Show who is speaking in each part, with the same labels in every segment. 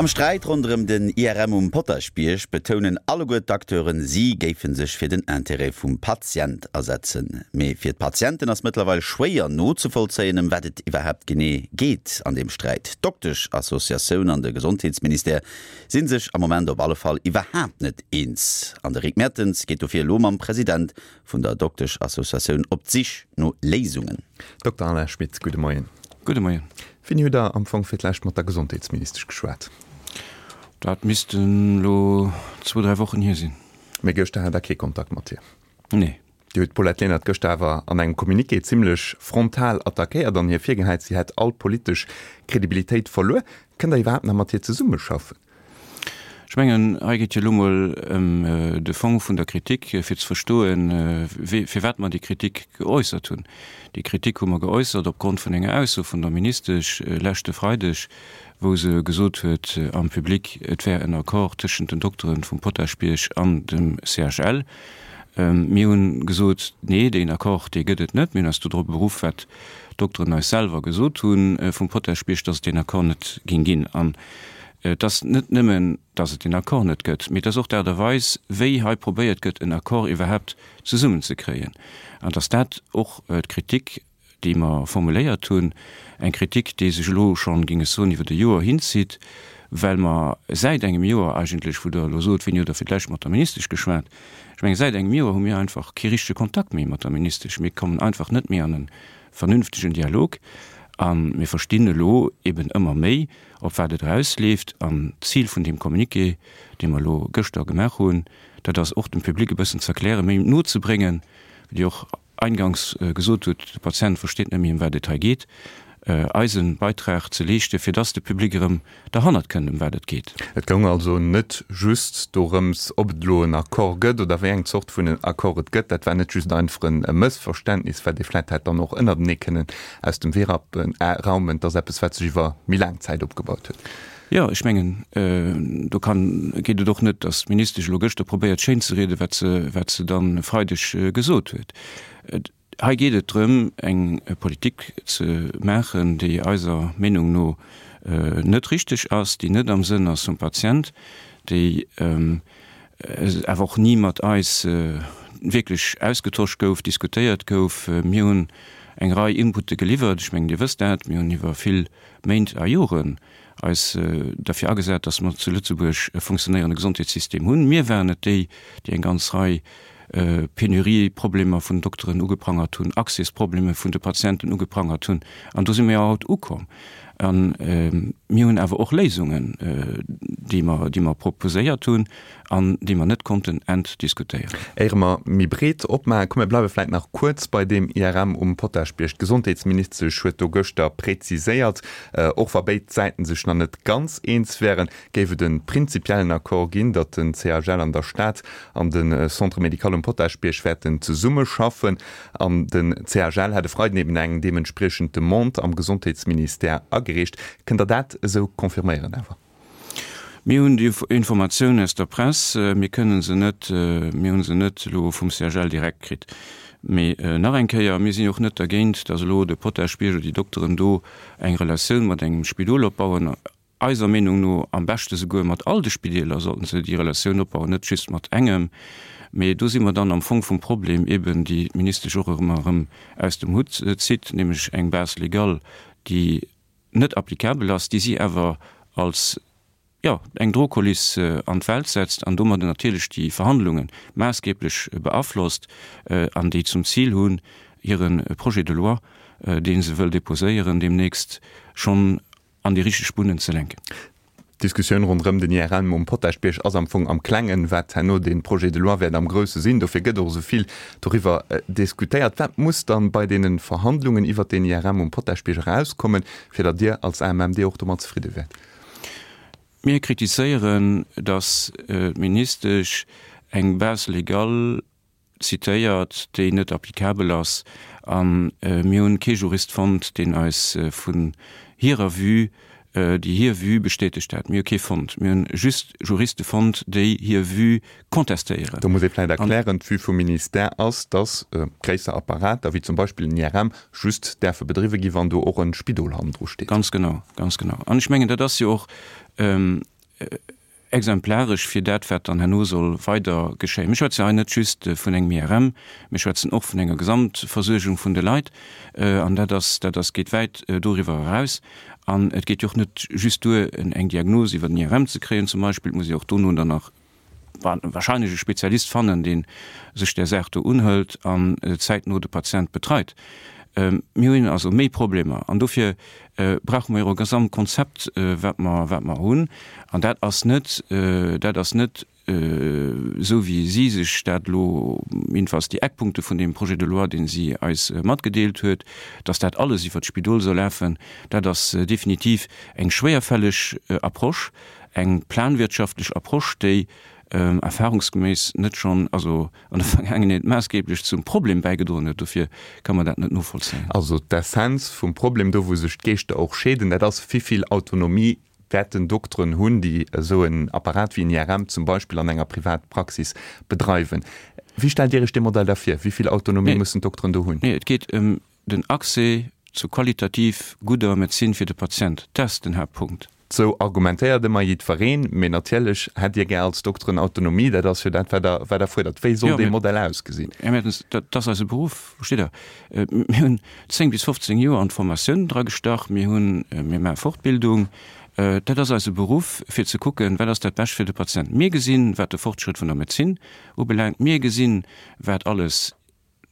Speaker 1: Am Sträit ronderëm den IRM um Potaschbierg betounen alleguer d'Acteuren, si géife sech fir den Intérêt vum Patient asetzen. Mee fir d'Patienten ass mëttlerweil schwéier nozevollzéien, ëm wat et iwwerhaapt genee geet an deem Sträit. D'Doktesch-Associatioun an de Gesondheetsministère si sech am Moment op alle Fall iwwerhaapt net eens. An de Rick Mertens geet dofir elo mam President vun der Doktesch-Associatioun op d'Sich no Léisungen.
Speaker 2: Dokter Alain Schmit, gudde Moien.
Speaker 3: Gudde Moien.
Speaker 2: Wéini hutt Der am Fong fir d'lescht mat der Gesondheetsministesch geschwat?
Speaker 3: Dat missten elo zwou, dräi Wochen hier sinn.
Speaker 2: Mee gëschter hat Der kee Kontakt mat hir?
Speaker 3: Nee.
Speaker 2: Dir hutt d'Paulette Lenert gëschter awer an engem Communiqué zimmlech frontal attackéiert an hir virgehäit, si hätt all politesch Kredibilitéit verluer. Kënnt Der iwwerhaapt nach mat hir zesummeschaffen?
Speaker 3: Ech mengen, hei geet jo elo mol ëm de Fong vun der Kritik, fir ze verstoen, firwat mer déi Kritik geäussert hunn. Déi Kritik hu mer geäussert opgrond vun enger Ausso vun der Ministesch leschte Freideg, wou se gesot huet am Public, et wär en Accord tëschent den Doktere vum Potaschbierg an dem CHL. Mir hunn gesot, Nee, deen Accord, dee gëtt et net. Mir hunn eis do drop beruff, wat d'Dokteren eis selwer gesot hu vum Potaschbierg, datt et deen Accord net géing ginn. An Et ass net nëmmen, datt et deen Accord net gëtt, mee et ass och d'Aart a Weis, wéi hei probéiert gëtt, en Accord iwwerhaapt zesummenzekréien. An datt dat och d'Kritik, déi mer formuléiert hunn, eng Kritik, déi sech elo schonn, géing ech soen, iwwert e Joer hinzitt, well mer säit engem Joer eigentlech, wou Der elo sot, wéini hutt Der fir d'lescht mat der Ministesch geschwat, ech mengen, säit engem Joer hu mir einfach kee richtege Kontakt méi mat der Ministesch. Mir kommen einfach net méi an e vernünftegen Dialog a mir verstinn elo eben ëmmer méi, op wat et erausleeft. An d'Zil vun deem Communiqué, dee mer elo gëschter gemaach hunn, dat ass och dem Public e bëssen ze erklären, méi nozebréngen, wéi Dir och eingangs gesot hutt, de Patient versteet net méi, ëm wat et hei geet, eise Beitrag ze leeschten, fir dass de Public erëm derhannert kënnt, ëm wat et geet.
Speaker 2: Et goung also net just dorëms, ob et elo en Accord gëtt oder wéi eng Zort vun Accord et gëtt. Dat war net just einfach e Mëssverständnis, wat ee vläicht hätt dann och ënnertenee kënnen aus dem Wee raumen, 't ass eppes, wat sech iwwer méi laang Zäit opgebaut huet.
Speaker 3: Jo, ech mengen, do kann, geet et och net, datt d'Ministesch elo gëschter probéiert schéinzerieden, wat se, wat se dann e Freideg gesot huet. Hei geet et drëm, eng Politik ze maachen, déi eiser Meenung no net richteg ass, déi net am Sënn ass vum Patient, déi awer och ni mat eis wierklech ausgetosch gouf, diskutéiert gouf. Mir hunn eng Rei Inputte geliwwert, ech mengen, Dir wësst dat, mir hunn iwwer vill Méint a Joren eis derfir agesat, datt mer zu Lëtzebuerg e funktionéierende Gesondheetssystem hunn. Mir waren et déi, déi eng ganz Rei Penurie-Problemer vun Dokteren ugeprangert hunn, Accès-Probleme vun de Patienten ugeprangert hunn. An do si mer jo haut ukomm. A mir hunn awer och Léisungen, déi mer, déi mer proposéiert hunn an déi mer net konnten entdiskutéieren.
Speaker 2: Éiere mer méi breet opmaachen, komm mir bleiwe vläit nach kuerz bei deem IRM um Potaschbierg. D'Gesondheetsministesch huet do gëschter präziséiert, och wa béid Säiten sech nach net ganz eens wären, géif et e prinzipiellen Accord ginn, datt den CHL an der Stad an de Centre médical um Potaschbierg wäerten zesummeschaffen. An den CHL hätt e Freiden eben eng deementspriechend Demande am Gesondheetsministère agereecht. Kënnt Der dat esou confirméieren awer?
Speaker 3: Mir hunn déi Informatioun aus der Press, mir kënne se net, mir hu se net elo vum CHL direkt kritt. Mee nach eng Kéier, mir sinn och net dergéint, datt elo de Potaschbierg oder déi Dokteren do eng Relatioun mat engem Spidol opbauen. Eiser Meenung no am beschte souguer mat all de Spideeler sollten se déi Relatioun opbauen, net just mat engem. Mee do si mer dann am Fong vum Problem eben, déi d'Ministesch och ëmmer erëm aus dem Hutt zitt, nämlech eng Base légale, déi net applicabel ass, déi si awer als, jo, eng Drohkuliss an d'Welt setzt an domadder natierlech déi Verhandlunge maassgeblech beaflosst an déi zum Zil hunn, hire Projet de loi, dee se wëll déposéieren deemnächst, schonn an déi richteg Bunnen ze lenken.
Speaker 2: D'Diskussioun ronderëm den IRM um Potaschbierg ass am Fong am Klengen, wat herno dee Projet de loi wäert am Grousse sinn. Dofir gëtt och esou vill doriwwer diskutéiert. Wat muss dann bei deene Verhandlungen iwwert deen IRM um Potaschbierg erauskommen, fir datt Dir als AMMD och domat zefridde wäert?
Speaker 3: Mir kritiséieren, datt d'Ministesch eng Base légale zitéiert, déi net applicabel ass, a mir hunn kee Jurist fonnt, deen eis vun hirer Vue, déi hir Vue bestätegt hätt. Mir hu kee fonnt. Mir hunn just Juriste fonnt, déi hir Vue contestéieren.
Speaker 2: Do muss ee vläicht erklären, D'Vue vum Ministère ass, dass gréisser Apparater, wéi zum Beispill en IRM, just däerfe bedriwwe ginn, wann do och e Spidol hannendru steet.
Speaker 3: Ganz genau, ganz genau. An ech mengen, dat ass jo och. Exemplaresch fir dat, wat dann herno soll weider geschéien. Mir schwätzen hei net just vun engem IRM, mir schwätzen och vun enger Gesamtversuergung vun de Leit. An dat ass, dat ass, geet wäit doriwwer eraus. An et geet jo och net just duer, eng Diagnos iwwer den IRM ze kréien zum Beispill. Et muss ee och dono dann nach wahrscheinlech e Spezialist fannen, dee sech där Saach do unhëlt an zäitno de Patient betreit. Mir hunn also méi Problemer an dofir brauche mer jo e Gesamtkonzept, wat mer, wat mer hunn. An dat ass net, dat ass net esou wéi si sech dat elo, jedenfalls déi Eckpunkte vun deem Projet de loi, dee si eis matgedeelt huet, dass dat alles iwwert d'Spidol soll lafen. Dat ass definitiv eng schwéierfälleg Approche, eng planwirtschaftlech Approche, déi erfahrungsgeméiss net schonn, also an der Vergaangenheet maassgeblech zum Problem bäigedroen huet. Dofir ka mer dat net novollzéien.
Speaker 2: Also d'Essenz vum Problem, do wou sech d'Geeschter och scheeden, dat ass, Wivill Autonomie wäerten Dokteren hunn, déi esou en Apparat wéi en IRM zum Beispill an enger Privatpraxis bedreiwen? Wéi stellt Dir Iech dee Modell da vir? Wivill Autonomie mussen d'Dokteren do hunn?
Speaker 3: Nee, et geet ëm den Accès zu qualitativ gudder Medezin fir de Patient. Dat ass den Haaptpunkt.
Speaker 2: Sou argumentéiert ëmmer jiddwereen, mee natierlech hätt Dir gär als Dokteren Autonomie, dat ass jo dat, wat Der, wat Der fuerdert. Wéi soll dee Modell ausgesinn?
Speaker 3: Här Mertens, dat ass eise Beruff, versteet Der. Mir hunn 10 bis 15 Joer an d'Formatioun dragestach, mir hunn, mir maache Fortbildung. Dat ass eise Beruff, fir ze kucken, wat ass dat Bescht fir de Patient. Mir gesinn, wat de Fortschrëtt vun der Medezin ubelaangt, mir gesinn, wat alles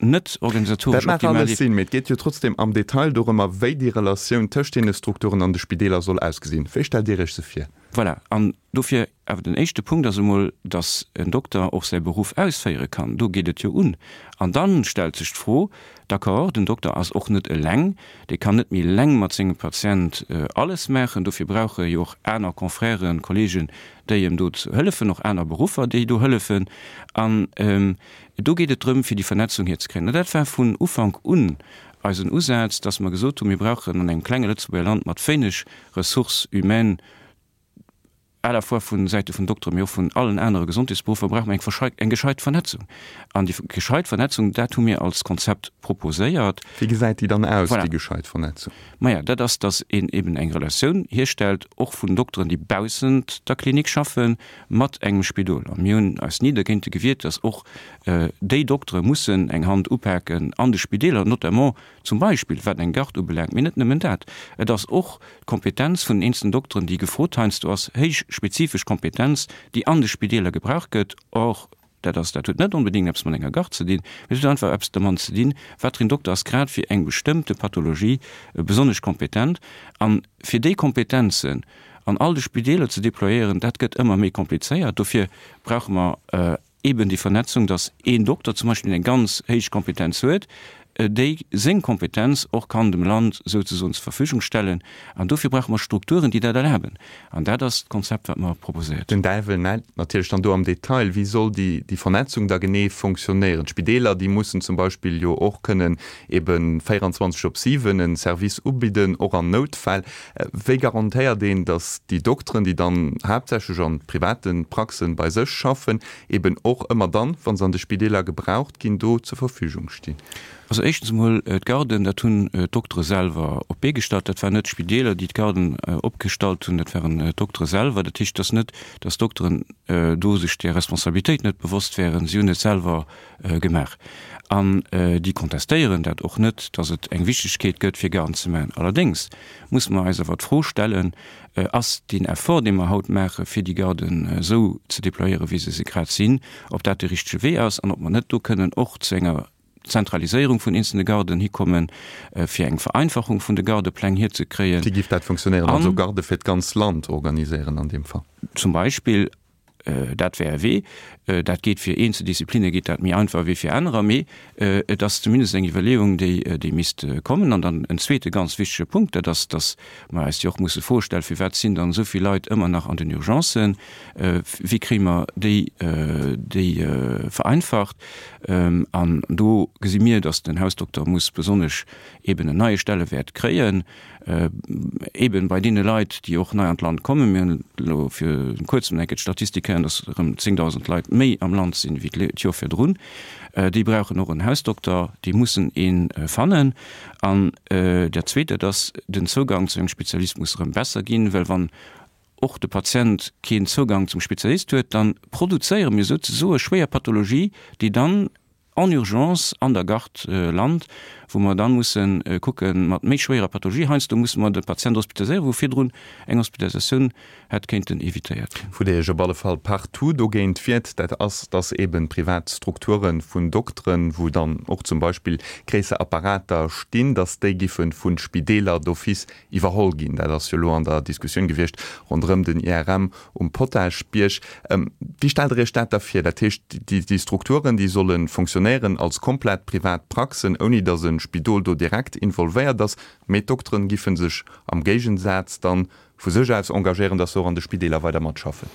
Speaker 3: net
Speaker 2: organisatoresch optimal. Dat mag alles sinn, mee et geet jo trotzdem am Detail dorëmmer, wéi déi Relatioun tëscht deene Strukturen an de Spideeler soll ausgesinn. Wéi stellt Dir Iech se vir?
Speaker 3: Voilà, an dofir awer den éischte Punkt ass emol, datt en Dokter och säi Beruff ausféiere kann. Do geet et jo un. An da stellt sech d'Fro, d'accord, den Dokter ass och net eleng, dee kann net méi eleng mat sengem Patient alles maachen, dofir brauch e jo och aner Confrèren, Kollegen, déi em do hëllefen, och aner Beruffer, déi do hëllefen. An Do geet et drëm, fir déi Vernetzung hierzekréien. An dat war vun Ufank un eisen Usaz, dass mer gesot hunn, mir brauchen an engem klenge Lëtzebuerger Land mat wéineg Ressources humaines, à la fois vu Säite vun Dokteren, mee och vun allen anere Gesondheetsberuffer, brauche mer eng eng gescheit Vernetzung. An déi gescheit Vernetzung, dat hu mir als Konzept proposéiert.
Speaker 2: Wéi gesäit déi dann aus, déi gescheit Vernetzung?
Speaker 3: Maja, dat ass, dass een eben eng Relatioun hierstellt, och vun Dokteren, déi baussent der Klinik schaffen, mat engem Spidol. A mir hunn eis ni dergéinte gewiert, dass och déi Doktere mussen eng Hand upaken an de Spideeler, notamment zum Beispill wat eng Garde ubelaangt, mee net nëmmen dat. Et ass och d'Kompetenz vun den eenzelnen Dokteren, déi gefrot heiansdo ass, héich spezifesch Kompetenz, déi an de Spideeler gebraucht gëtt. Or, dat ass, dat huet net onbedéngt eppes mat enger Garde ze dinn, mee et huet einfach eppes domat ze dinn, wat fir een Dokter ass grad fir eng bestëmmte Pathologie besonnesch kompetent. A fir déi Kompetenzen an all de Spideeler ze déployéieren, dat gëtt ëmmer méi komplizéiert. Dofir brauche mer eeben déi Vernetzung, dass een Dokter zum Beispill eng ganz héich Kompetenz huet, déi seng Kompetenz och kann dem Land souzesoen zur Verfügung stellen. An dofir brauche mer Strukturen, déi dat erlaben. An dat ass d'Konzept, wat mer proposéiert
Speaker 2: hunn. Den Däiwel läit natierlech dann do am Detail. Wéi soll déi Vernetzung da genee fonctionnéieren? D'Spideeler, déi mussen zum Beispill jo och kënnen ebe 24 op 7 e Service ubidden, och an Noutfäll. Wéi garantéiert een, datt déi Dokteren, déi dann haaptsächlech an private Praxen bei sech schaffen, eben och ëmmer dann, wa se an de Spideeler gebraucht ginn, do zur Verfügung stinn?
Speaker 3: Also éischtens emol, d'Garden, dat hunn d'Doktere selwer op d'Bee gestallt. Dat waren net d'Spideeler, déi d'Garden opgestallt hunn, dat waren d'Doktere selwer. Dat heescht, et ass net, datt d'Dokteren do sech där Responsabilitéit net bewosst wären. Si hunn et selwer gemaach. An déi kontestéieren dat och net, datt et eng Wichtegkeet gëtt, fir Garden ze maachen. Allerdéngs musse mer eis awer d'Fro stellen, Ass deen Effort, dee mer haut maachen, fir déi Garden esou ze déployéieren, wéi se se grad sinn, ob dat de richtege Wee ass an ob mer net do kënnen och zu enger Zentraliséierung vun eenzelne Garden hikommen, fir eng Vereinfachung vun de Gardepläng hierzekréien.
Speaker 2: Wéi géif dat funktionéieren? Also Garde fir d'ganz Land organiséieren an deem Fall?
Speaker 3: Zum Beispill. Dat wär e Wee. Dat geet fir eenzel Disziplinne geet dat méi einfach wéi fir anerer, mee et ass zumindest eng Iwwerleeung, déi, déi misst kommen. An dann en zweete ganz wichtege Punkt, dat ass, datt mer eis jo och musse Froe stellen, Firwat sinn dann esou vill Leit ëmmer nach an den Urgencen? Wéi kréie mer déi, déi vereinfacht? An do gesi mir, datt den Hausdokter muss besonnesch eeben en neie Stellewäert kréien. Eben bei deene Leit, déi och nei an d'Land kommen. Mir hunn elo vir kuerzem eng Kéier d'Statistik héieren, datt erëm 10.000 Leit méi am Land sinn wéi d'Joer virdrun. Déi brauchen och en Hausdokter, déi mussen ee fannen. An dat Zweet, dat ass, den Zougang zu engem Spezialist muss erëm besser ginn, well wann. och de Patient keen Zougang zum Spezialist huet, dann produzéiere mir souzesoe schwéier Pathologie, déi dann en urgence an der Garde lant, wou mer dann mussen kucken mat méi schwéierer Pathologie. Heiansdo musse mer de Patient hospitaliséieren, wou virdrun eng Hospitalisatioun hätt kéinten évitéiert ginn.
Speaker 2: Wou Dir Iech op alle Fall partout dogéint wiert, dat ass, dass eeben privat Strukture vun Dokteren, wou dann och zum Beispill gréisser Apparater stinn, dass déi giffe vu Spideeler d'office iwwerholl ginn. Dat ass jo elo an der Diskussioun gewiescht ronderëm den IRM um Potaschbierg. Wéi stellt Der Iech dat da vir? Dat heescht, déi Strukturen, déi solle fonctionnéieren als komplett privat Praxen, ouni datt e Spidol do direkt involvéiert ass, mee d'Dokteren giffe sech am Géigensaz dann vu sech aus engagéieren, datt se och an de Spideeler weider matschaffen.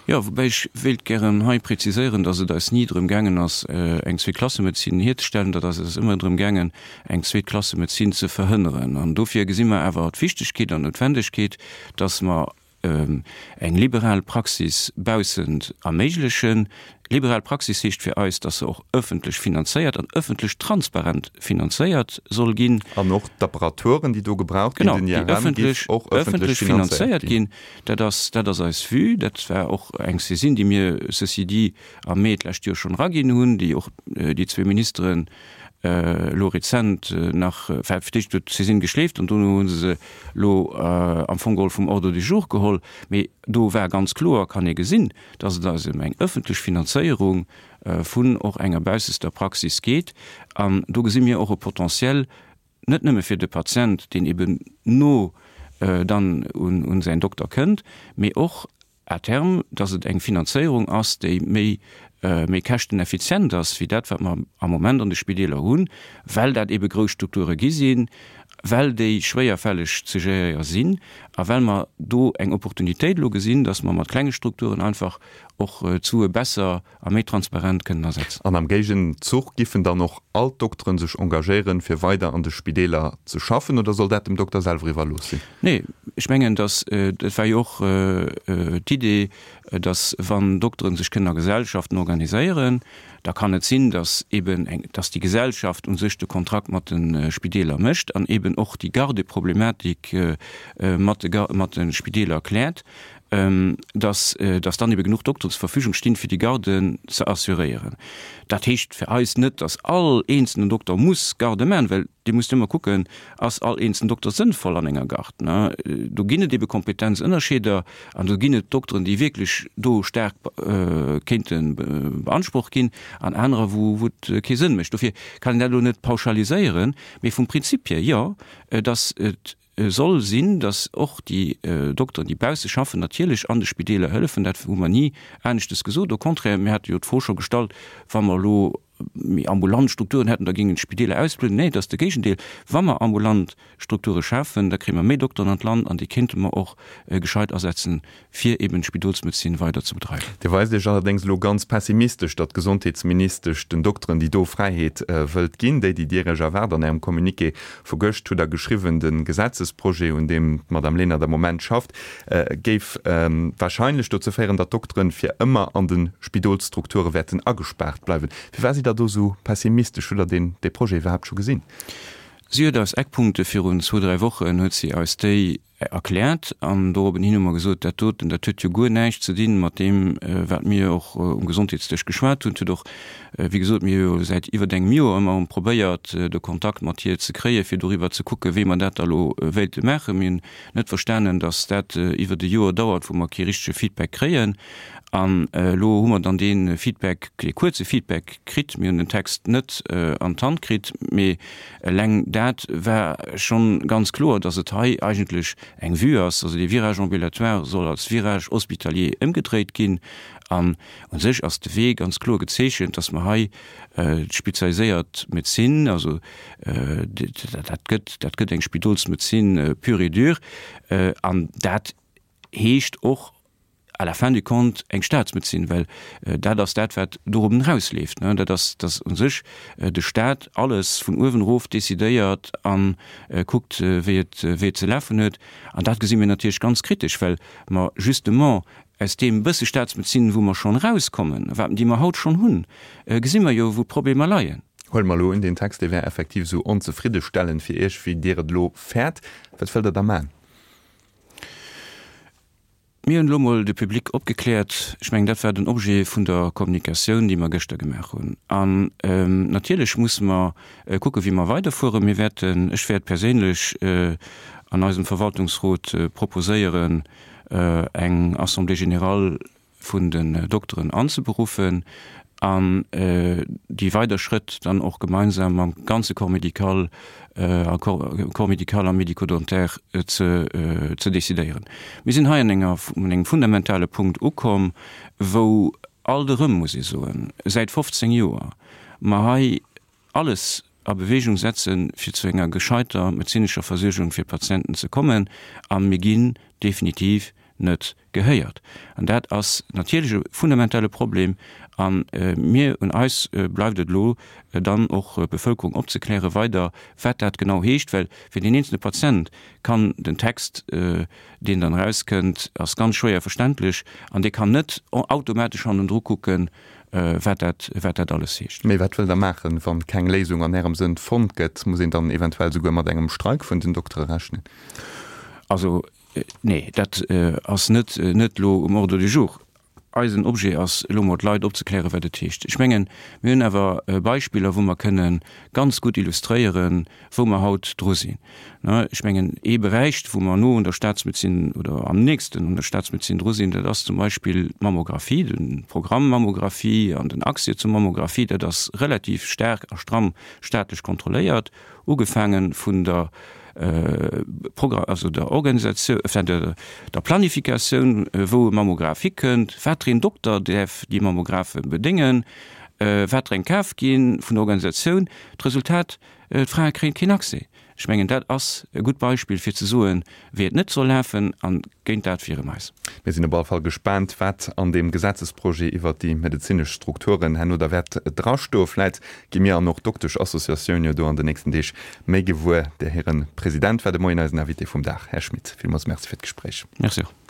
Speaker 3: Jo, woubäi ech wéilt gären hei präziséieren, datt et eis ni drëm gaangen ass, eng Zweeklassemedezin hierzestellen. Dat ass eis ëmmer drëm gaangen, eng Zweeklassemedezin ze verhënneren. An dofir gesi mer awer d'Wichtegkeet an d'Noutwendegkeet, datt mer eng liberal Praxis baussent erméiglechen. Liberal Praxis heescht fir eis, dass se och ëffentlech finanzéiert an ëffentlech transparent finanzéiert soll ginn.
Speaker 2: An och d'Apparaturen, déi do gebraucht ginn, den IRM, géif och ëffentlech finanzéiert ginn.
Speaker 3: Dat ass, dat ass eis Vue. Dat war och eng Saisine, déi mir, ceci dit, am Mee d'lescht Joer schonn eraginn hunn, déi och déi zwee Ministeren elo rezent nach, enfin fir d'éischt huet d'Saisine geschleeft an dono hu se se elo am Fong geholl vum Ordre du jour geholl. Mee do war ganz kloer, kann ee gesinn, dass et eis ëm eng ëffentlech Finanzéierung vun och enger baussester Praxis geet. An do gesi mir och e Potentiel, net nëmme fir de Patient, deen eben no dann un säin Dokter kënnt, mee och à terme, dass et eng Finanzéierung ass, déi méi méi käschteneffizient ass wéi dat, wat mer am Moment an de Spideeler hunn, well dat ebe grouss Strukture gi sinn, well déi schwéierfälleg ze géréiere sinn a well mer do eng Opportunitéit elo gesinn, dass mer mat klenge Strukturen einfach och d'Sue besser a méi transparent kënnen asetzen.
Speaker 2: An am Géigenzuch giffen dann och all d'Dokteren sech engagéieren, fir weider an de Spideeler ze schaffen, oder soll dat dem Dokter selwer iwwerlooss sinn?
Speaker 3: Nee, ech mengen, dass, dat war jo och d'Idee, dass wann Dokteren sech kënnen a Gesellschaften organiséieren, da kann et sinn, dass eben eng, dass déi Gesellschaft u sech de Kontrakt mat de Spideeler mécht an eben och déi Gardeproblematik mat de, mat de Spideeler kläert. dass dass dann ebe genuch Dokteren zur Verfügung stinn, fir déi Garden ze assuréieren. Dat heescht fir eis net, dass all eenzelnen Dokter muss Garde maachen, well Dir musst ëmmer kucken, ass all eenzelnen Dokter sënnvoll an enger Garde, ne? Do ginn et ebe Kompetenzënnerscheeder an do ginn et Dokteren, déi wierklech do staark kéinte beansprucht ginn an anerer, wou wou et kee Sënn mécht. Dofir kann een dat elo net pauschaliséieren, mee vum Prinzip hier, jo, dass et soll sinn, datt och déi Dokteren, déi bausse schaffen, natierlech an de Spideeler hëllefen. Dat hu mer ni aneschtes gesot. Au contraire, mir hate jo d'Fro scho gestallt, wa mer elo méi ambulant Strukturen hätten, da géingen d'Spideeler ausbludden. Nee, et ass de Géigendeel. Wa mer ambulant Strukture schafen, da kréie mer méi Dokteren an d'Land an déi kéinte mer och gescheit asetzen, fir eben d'Spidolsmedezin weider ze bedreiwen.
Speaker 2: Dir weist Iech allerdéngs elo ganz pessimistesch, datt d'Gesondheetsministesch den Dokteren déi do Fräiheet wëllt ginn, déi déi Dir Iech erwaart. An Ärem Communiqué vu gëscht hutt Der geschriwwen, de Gesetzesprojet, un deem d'Madame Lenert am Moment schafft, géif wahrscheinlech dozou féieren, datt d'Dokteren fir ëmmer an de Spidolsstrukture wäerten agespaart bleiwen. Firwat sidd Der do esou pessimistesch? Hutt Der deen dee Projet iwwerhaapt scho gesinn?
Speaker 3: Si huet eis Eckpunkte virun zwou, dräi Wochen huet si eis déi erkläert an dorobben hin hu mer gesot, dat doten, dat huet jo guer näischt ze dinn mat deem, wat mir och um Gesondheetsdësch geschwat hunn. Et huet och, wéi gesot, mir hu jo säit iwwert engem Joer ëmmer erëm probéiert, de Kontakt mat hir ze kréien, fir doriwwer ze kucken, wéi mer dat da lo wéilte maachen. Mir hunn net verstanen, datt dat iwwert e Joer dauert, wou mer kee richtege Feedback kréien. An elo hu mer dann dee Feedback, dee kuerze Feedback kritt. Mir hunn den Text net an d'Hand kritt, mee Eleng dat war schonn ganz kloer, dass et hei eigentlech eng Vue ass, also dee Virage ambulatoire soll als Virage hospitalier ëmgedréit ginn. An u sech ass de Wee ganz kloer gezeechent, dass mer hei d'spezialiséiert Medezin, also dat gëtt, dat gëtt eng Spidolsmedezin pure et dure, an dat heescht och à la fin du compte eng Staatsmedezin, well dat ass dat, wat dorobben erausleeft. Dat ass, dass u sech de Staat alles vun uewen erof decidéiert a kuckt, wéi et, wéi et ze lafen huet. An dat gesi mir natierlech ganz kritesch, well mer justement aus deem bësse Staatsmedezin, wou mer schonn erauskommen, wat, déi mer haut schonn hunn, gesi mer jo, wou d'Problemer leien.
Speaker 2: Huele mer elo un, deen Text, dee wär effektiv esou onzefriddestellend fir Iech, wéi Dir et elo fäert. Wat wëllt Der da maachen?
Speaker 3: Mir hunn elo mol de Public opgekläert. Ech mengen, dat war den Objet vun der Kommunikatioun, déi mer gëschter gemaach hunn. An natierlech musse mer kucken, wéi mer weiderfueren. Mir wäerten, ech wäert perséinlech an eisem Verwaltungsrot proposéieren, eng Assemblée générale vun den Dokteren anzeberuffen an déi weider Schrëtt dann och gemeinsam mam ganze Corps médical a Corps médical a médico-dentaire ze ze decidéieren. Mir sinn hei an enger un engem fundamentale Punkt ukomm, wou alt erëm, muss ee soen, säit 15 Joer mer hei alles a Bewegung setzen, fir zu enger gescheiter medezinescher Versuergung fir d'Patienten ze kommen, a mir ginn definitiv net gehéiert. An dat ass natierlech e fundamentale Problem. A mir, un eis bleift et elo dann och d'Bevölkerung opzeklären weider, wat dat genau heescht, well fir deen eenzelne Patient kann den Text, deen dann erauskënnt, ass ganz schwéier verständlech an dee kann net automatesch hannendru kucken, wat dat, wat dat alles heescht.
Speaker 2: Mee wat wëllt Der maachen, wann keng Léisung an Ärem Sënn fonnt gëtt? Muss een dann eventuell souguer mat engem Streik vun den Doktere rechnen?
Speaker 3: Also, nee, dat ass net, net elo um Ordre du jour. Eisen Objet ass elo mol d'Leit opzeklären, wat et heescht. Ech mengen, mir hunn awer Beispiller, wou mer kënne ganz gutt illustréieren, wou mer haut dru sinn. Ech mengen, ee Beräich, wou mer no un der Staatsmedezin oder am nächsten un der Staatsmedezin dru sinn, dat ass zum Beispill d'Mammographie, de Programm Mammographie an den Accès zur Mammographie. Dat ass relativ staark a stramm staatlech kontrolléiert, ugefaange vun der also der Organisatioun, enfin der Planifikatioun, wou e Mammograph hikënnt, wat fir een Dokter däerf déi Mammographe bedéngen, wat fir eng kaf ginn vun der Organisatioun. D'Resultat, D'Frae kréien keen Accès. Ech mengen, dat ass e gutt Beispill, fir ze soen, wéi et net soll lafen, a géint dat wiere mer eis.
Speaker 2: Mir sinn op alle Fall gespaant, wat an deem Gesetzesprojet iwwert déi medezinesch Strukturen herno da wäert drastoen. Vläit gi mir an och d'Doktesch-Associatioun jo do an den nächsten Deeg méi gewuer. Där hire President war de Moien eisen Invité vum Dag. Här Schmit, villmools Merci fir d'Gespréich.
Speaker 3: Merci och.